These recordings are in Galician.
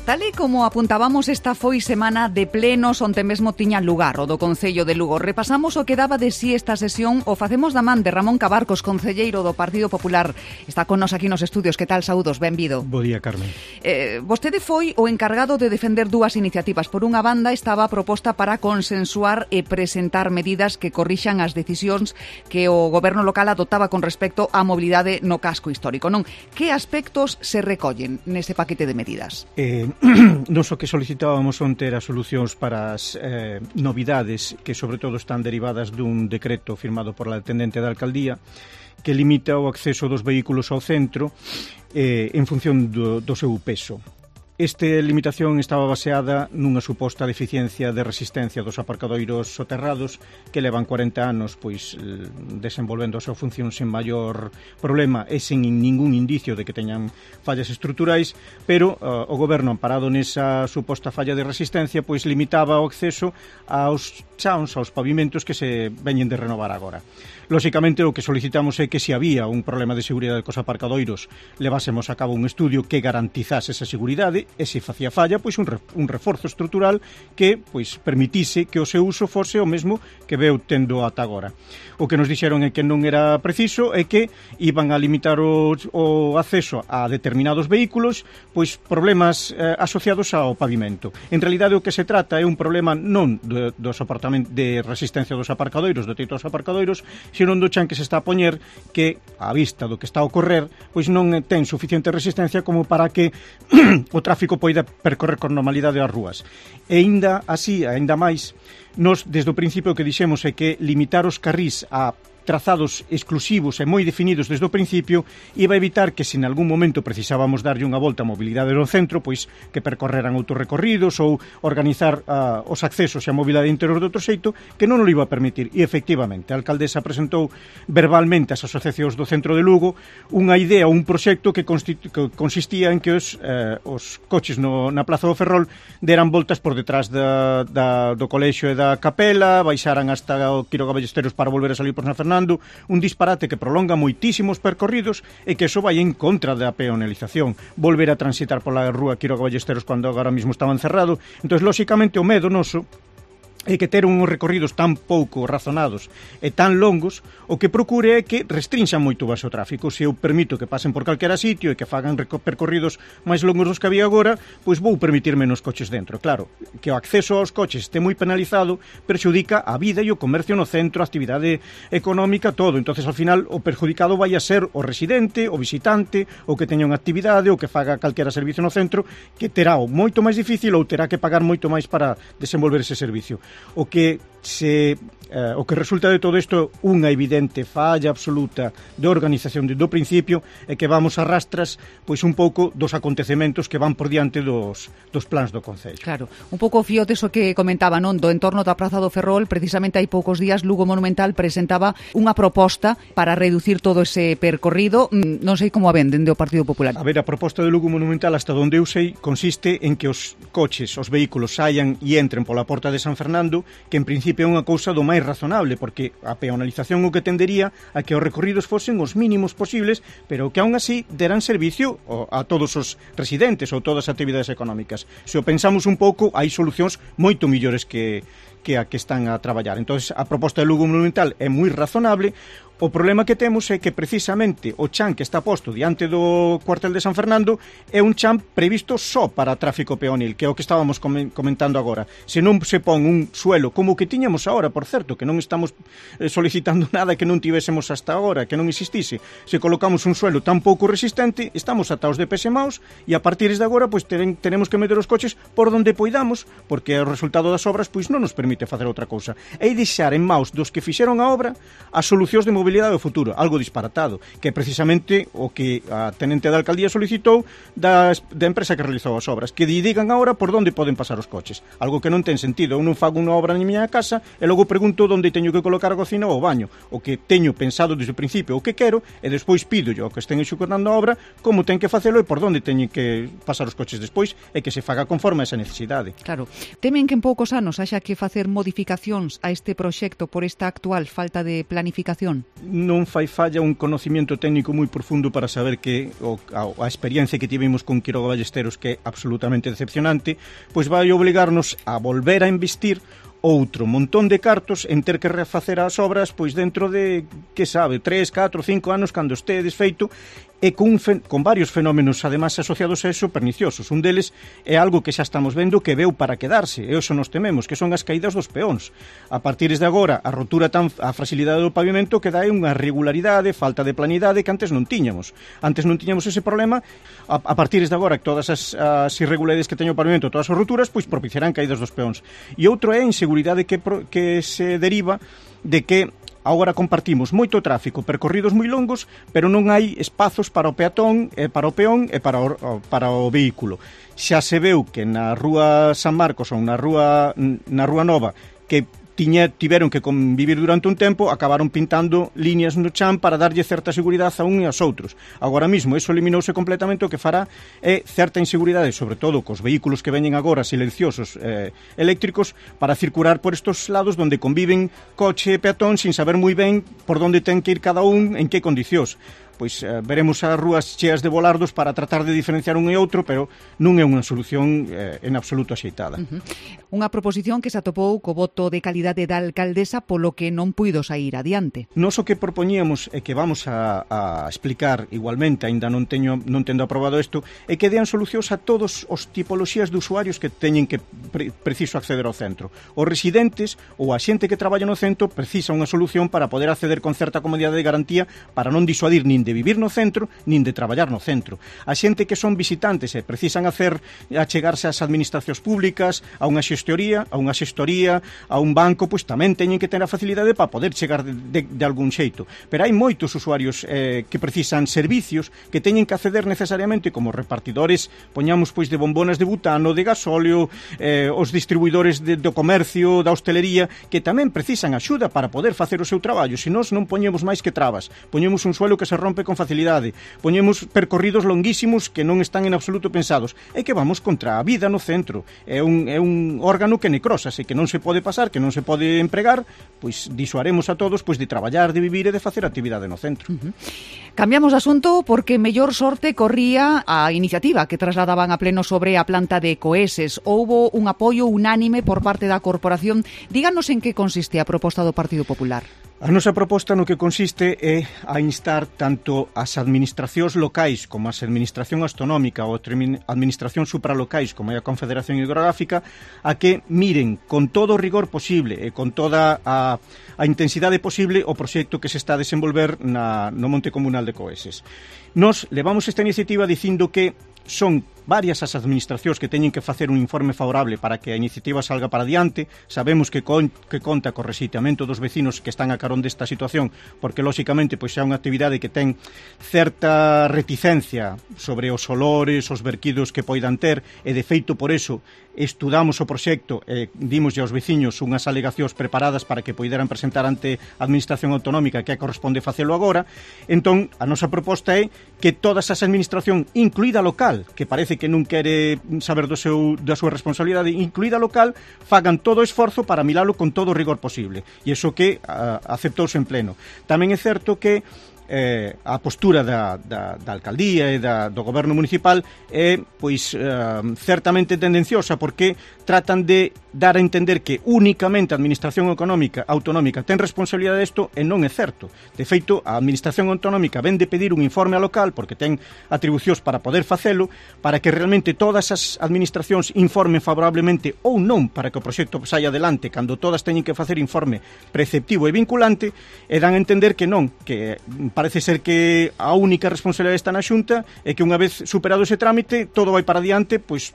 Tal e como apuntábamos, esta foi semana de plenos onde mesmo tiña lugar o do Concello de Lugo. Repasamos o que daba de si esta sesión, o facemos da man de Ramón Cabarcos, concelleiro do Partido Popular. Está con nos aquí nos estudios. Que tal, saúdos? Benvido. Bo día, Carmen. Vostede foi o encargado de defender dúas iniciativas. Por unha banda estaba a proposta para consensuar e presentar medidas que corrixan as decisións que o goberno local adoptaba con respecto á mobilidade no casco histórico, non? Que aspectos se recollen nese paquete de medidas? Nos o que solicitábamos onte era solucións para as novidades que sobre todo están derivadas dun decreto firmado por la tendente da alcaldía que limita o acceso dos vehículos ao centro en función do seu peso. Esta limitación estaba baseada nunha suposta deficiencia de resistencia dos aparcadoiros soterrados que levan 40 anos desenvolvendo a súa función sen maior problema e sen ningún indicio de que teñan fallas estruturais, pero o goberno, amparado nesa suposta falla de resistencia, limitaba o acceso aos chans, aos pavimentos que se veñen de renovar agora. Lóxicamente, o que solicitamos é que se había un problema de seguridade cos aparcadoiros levásemos a cabo un estudio que garantizase esa seguridade e se facía falla, un reforzo estrutural que permitise que o seu uso fose o mesmo que veu tendo ata agora. O que nos dixeron é que non era preciso e que iban a limitar o acceso a determinados vehículos, problemas asociados ao pavimento. En realidade, o que se trata é un problema non de resistencia dos aparcadoiros, do teito dos aparcadoiros, senón do chan que se está a poñer que, á vista do que está a ocorrer, non ten suficiente resistencia como para que o tráfico poida percorrer con normalidade as rúas. E aínda así, aínda máis, nos, desde o principio, o que dixemos é que limitar os carrís a trazados exclusivos e moi definidos desde o principio iba a evitar que, se en algún momento precisábamos darlle unha volta a mobilidade no centro, que percorreran outros recorridos ou organizar os accesos e a mobilidade interior de outro xeito, que non o iba a permitir. E, efectivamente, a alcaldesa presentou verbalmente ás asociacións do centro de Lugo unha idea, un proxecto que consistía en que os coches na Plaza do Ferrol deran voltas por detrás do colexio e da capela, baixaran hasta o Quiroga Ballesteros para volver a salir por San Fernando, un disparate que prolonga moitísimos percorridos e que iso vai en contra da peonalización. Volver a transitar pola rúa Quiroga Ballesteros cando agora mesmo estaba encerrado. Entón, lóxicamente, o medo noso é que ter uns recorridos tan pouco razonados e tan longos, o que procure é que restrinxan moito o vaso tráfico. Se eu permito que pasen por calquera sitio e que fagan percorridos máis longos dos que había agora, vou permitir menos coches dentro. Claro, que o acceso aos coches este moi penalizado perxudica a vida e o comercio no centro, a actividade económica, todo. Entonces, ao final, o perjudicado vai a ser o residente, o visitante, o que teña unha actividade, o que faga calquera servicio no centro, que terá o moito máis difícil ou terá que pagar moito máis para desenvolver ese servicio. O que resulta de todo isto unha evidente falla absoluta de organización do principio é que vamos a rastras un pouco dos acontecementos que van por diante dos plans do Concello. Claro, un pouco fío deso que comentaba, non? Do entorno da Praza do Ferrol, precisamente hai poucos días Lugo Monumental presentaba unha proposta para reducir todo ese percorrido. Non sei como a ven dende o Partido Popular. A ver, a proposta de Lugo Monumental, hasta onde eu sei, consiste en que os coches, os vehículos saian e entren pola porta de San Fernando, que en principio é unha cousa do máis razonable, porque a peonalización o que tendería a que os recorridos fosen os mínimos posibles, pero que aún así deran servicio a todos os residentes ou todas as actividades económicas. Se o pensamos un pouco, hai solucións moito millores que a que están a traballar. Entón, a proposta de Lugo Monumental é moi razonable. O problema que temos é que precisamente o chan que está posto diante do cuartel de San Fernando é un chan previsto só para tráfico peonil, que é o que estábamos comentando agora. Se non se pon un suelo como o que tiñamos agora, por certo, que non estamos solicitando nada que non tivésemos hasta agora, que non existise. Se colocamos un suelo tan pouco resistente, estamos ataos de pés e maus e a partir de agora tenemos que meter os coches por donde poidamos, porque o resultado das obras non nos permite facer outra cousa. É deixar en maus dos que fixeron a obra as solucións de mobilidade do futuro, algo disparatado, que é precisamente o que a tenente da alcaldía solicitou da empresa que realizou as obras, que digan agora por onde poden pasar os coches, algo que non ten sentido. Eu non fago unha obra na miña casa e logo pregunto onde teño que colocar a cocina ou o baño. O que teño pensado desde o principio o que quero e despois pido yo que estén executando a obra como ten que facelo e por onde teñen que pasar os coches despois e que se faga conforme a esa necesidade. Claro, temen que en poucos anos haxa que facer facer modificacións a este proxecto por esta actual falta de planificación? Non fai falla un conocimiento técnico moi profundo para saber que a experiencia que tivemos con Quiroga Ballesteros, que é absolutamente decepcionante, pois vai obligarnos a volver a investir outro montón de cartos en ter que refacer as obras pois dentro de, que sabe, 3, 4, 5 anos cando este desfeito, e con varios fenómenos además asociados a eso perniciosos. Un deles é algo que xa estamos vendo que veu para quedarse, e eso nos tememos, que son as caídas dos peóns. A partir de agora, a rotura a fragilidade do pavimento que dá unha regularidade, falta de planidade que antes non tiñamos. Antes non tiñamos ese problema, a partir de agora, todas as irregularidades que teño o pavimento, todas as roturas, pois propiciarán caídas dos peóns. E outro é a inseguridade que se deriva de que agora compartimos moito tráfico, percorridos moi longos, pero non hai espazos para o peatón, para o peón e para o vehículo. Xa se veu que na Rúa San Marcos ou na Rúa Nova, que tiveron que convivir durante un tempo, acabaron pintando líneas no chan para darlle certa seguridade a un e aos outros. Agora mesmo, eso eliminouse completamente, o que fará é certa inseguridade, sobre todo cos vehículos que veñen agora silenciosos eléctricos, para circular por estos lados donde conviven coche e peatón sin saber moi ben por onde ten que ir cada un, en que condicións. Pois veremos as rúas cheas de volardos para tratar de diferenciar un e outro, pero non é unha solución en absoluto axeitada. Unha proposición que se atopou co voto de calidade da alcaldesa, polo que non puido sair adiante. Nos o que propoñíamos e que vamos a explicar igualmente, aínda non tendo aprobado isto, é que dean solucións a todos os tipoloxías de usuarios que teñen que preciso acceder ao centro. Os residentes ou a xente que traballa no centro precisa unha solución para poder acceder con certa comodidade de garantía para non disuadir nin de vivir no centro, nin de traballar no centro. A xente que son visitantes e precisan achegarse ás administracións públicas, a unha xestoría, a un banco, pois tamén teñen que ter a facilidade para poder chegar de algún xeito. Pero hai moitos usuarios que precisan servicios que teñen que acceder necesariamente como repartidores, poñamos pois de bombonas de butano, de gasóleo, os distribuidores do comercio, da hostelería, que tamén precisan axuda para poder facer o seu traballo. Se nós non poñemos máis que trabas, poñemos un suelo que se rompe con facilidade, poñemos percorridos longuísimos que non están en absoluto pensados, é que vamos contra a vida no centro. É un órgano que necrosase, que non se pode pasar, que non se pode empregar, pois disuaremos a todos pois de traballar, de vivir e de facer actividade no centro. Cambiamos de asunto porque mellor sorte corría a iniciativa que trasladaban a pleno sobre a planta de Coeses. Houbo un apoio unánime por parte da corporación. Díganos en que consiste a proposta do Partido Popular. A nosa proposta no que consiste é a instar tanto as administracións locais como as administración autonómica ou administración supralocais como é a Confederación Hidrográfica a que miren con todo o rigor posible e con toda a intensidade posible o proxecto que se está a desenvolver no Monte Comunal de Coeses. Nos levamos esta iniciativa dicindo que son varias as administracións que teñen que facer un informe favorable para que a iniciativa salga para diante. Sabemos que conta co rexeitamento dos vecinos que están a carón desta situación, porque lóxicamente pois é unha actividade que ten certa reticencia sobre os olores, os verquidos que poidan ter, e de feito por eso estudamos o proxecto e dimoslle aos veciños unhas alegacións preparadas para que poideran presentar ante a administración autonómica que corresponde facelo agora. Entón, a nosa proposta é que todas as administracións, incluída local, que parece que non quere saber da súa responsabilidade, incluída local, fagan todo o esforzo para miralo con todo o rigor posible. E iso que aceptouse en pleno. Tamén é certo que a postura da alcaldía e do goberno municipal é pois certamente tendenciosa, porque tratan de dar a entender que únicamente a administración autonómica ten responsabilidade disto, e non é certo. De feito, a administración autonómica ven de pedir un informe ao local porque ten atribucións para poder facelo, para que realmente todas as administracións informen favorablemente ou non para que o proxecto saia adelante, cando todas teñen que facer informe preceptivo e vinculante, e dan a entender que non, que parece ser que a única responsabilidade está na Xunta e que unha vez superado ese trámite todo vai para diante pois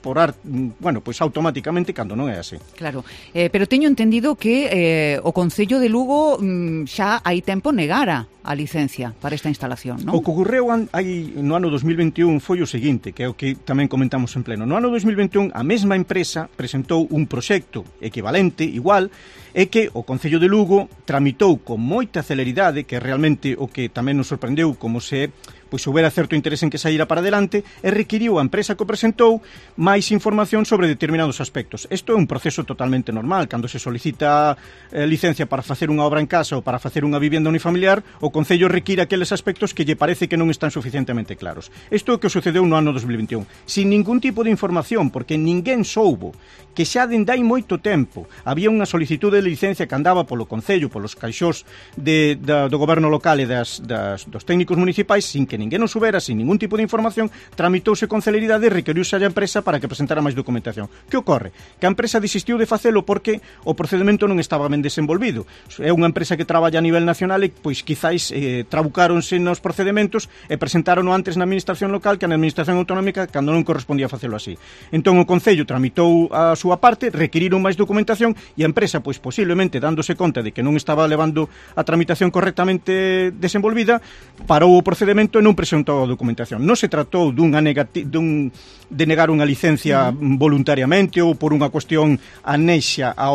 automáticamente, cando non é así. Claro, pero teño entendido que o Concello de Lugo xa hai tempo negara a licencia para esta instalación, non? O que ocorreu no ano 2021 foi o seguinte, que é o que tamén comentamos en pleno. No ano 2021 a mesma empresa presentou un proxecto equivalente, igual, e que o Concello de Lugo tramitou con moita celeridade, que realmente o que tamén nos sorprendeu como se pois houbera certo interese en que saíra para adelante e requiriu a empresa que o presentou máis información sobre determinados aspectos. Isto é un proceso totalmente normal. Cando se solicita licencia para facer unha obra en casa ou para facer unha vivenda unifamiliar, o Concello require aqueles aspectos que lle parece que non están suficientemente claros. Isto é o que sucedeu no ano 2021. Sin ningún tipo de información, porque ninguén soubo que xa dende hai moito tempo había unha solicitude de licencia que andaba polo Concello, polos caixós do goberno local e dos técnicos municipais, sin que ninguén o subera, sin ningún tipo de información, tramitouse con celeridade e requeriuse a empresa para que presentara máis documentación. Que ocorre? Que a empresa desistiu de facelo porque o procedimento non estaba ben desenvolvido. É unha empresa que traballa a nivel nacional e, pois, quizáis trabucáronse nos procedimentos e presentaron antes na administración local que na administración autonómica cando non correspondía facelo así. Entón o Concello tramitou a súa parte, requiriron máis documentación e a empresa, pois posiblemente dándose conta de que non estaba levando a tramitación correctamente desenvolvida, parou o procedimento e non presentou a documentación. Non se tratou de negar unha licencia voluntariamente ou por unha cuestión anexa a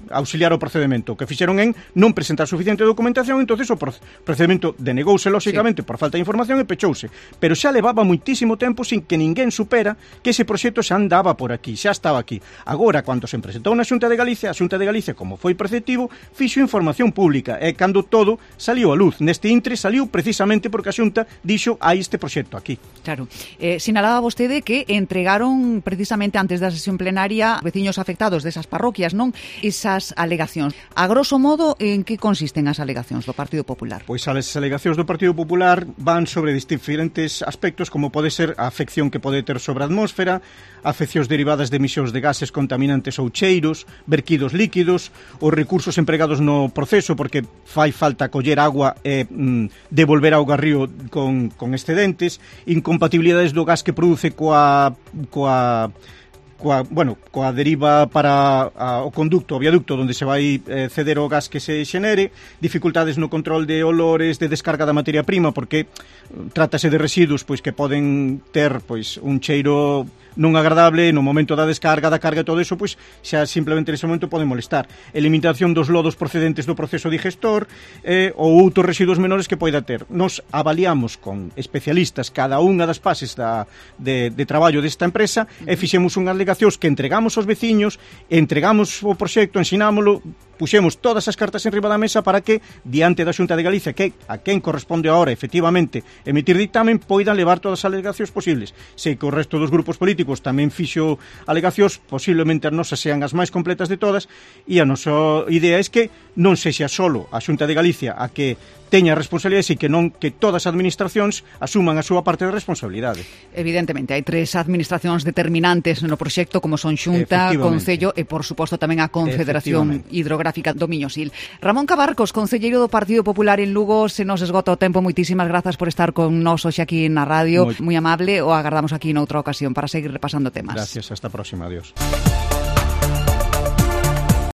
auxiliar o procedimento. O que fixeron en non presentar suficiente documentación, entonces o procedimento denegouse lóxicamente por falta de información e pechouse. Pero xa levaba moitísimo tempo sin que ninguén supera que ese proxecto xa andaba por aquí, xa estaba aquí. Agora, cando se presentou na Xunta de Galicia, a Xunta de Galicia, como foi preceptivo, fixo información pública e cando todo saliu a luz. Neste intre saliu precisamente porque a Xunta dixo hai este proxecto aquí. Claro. Sinalaba vostede que entregaron precisamente antes da sesión plenaria veciños afectados desas parroquias, non? Esas alegacións. A grosso modo, en que consisten as alegacións do Partido Popular? Pois as alegacións do Partido Popular van sobre diferentes aspectos, como pode ser a afección que pode ter sobre a atmósfera, afeccións derivadas de emisións de gases contaminantes ou cheiros, verquidos líquidos, os recursos empregados no proceso, porque fai falta coller agua e devolver auga ao río con excedentes, incompatibilidades do gas que produce coa deriva para o conducto, o viaducto onde se vai ceder o gas que se xenere, dificultades no control de olores, de descarga da materia prima, porque trátase de residuos pois que poden ter pois un cheiro non agradable no momento da descarga, da carga e todo eso, pois xa simplemente nese momento pode molestar. Eliminación dos lodos procedentes do proceso digestor ou outros residuos menores que poida ter. Nos avaliamos con especialistas cada unha das fases de traballo desta empresa e fixemos unhas alegacións que entregamos aos veciños, entregamos o proxecto, ensinámolo, puxemos todas as cartas enriba da mesa para que, diante da Xunta de Galicia, que a quen corresponde ahora, efectivamente, emitir dictamen, poidan levar todas as alegacións posibles. Sei que o resto dos grupos políticos tamén fixo alegacións, posiblemente as nosas sean as máis completas de todas, e a nosa idea é que non sexa solo a Xunta de Galicia a que teña responsabilidades e que non que todas as administracións asuman a súa parte de responsabilidade. Evidentemente, hai tres administracións determinantes no proxecto, como son Xunta, Concello e, por suposto, tamén a Confederación Hidrográfica do Miño-Sil. Ramón Cabarcos, concelleiro do Partido Popular en Lugo, se nos esgota o tempo, moitísimas grazas por estar con nós hoxe aquí na radio, moi amable, o agardamos aquí noutra ocasión para seguir repasando temas. Gracias, hasta a próxima, adiós.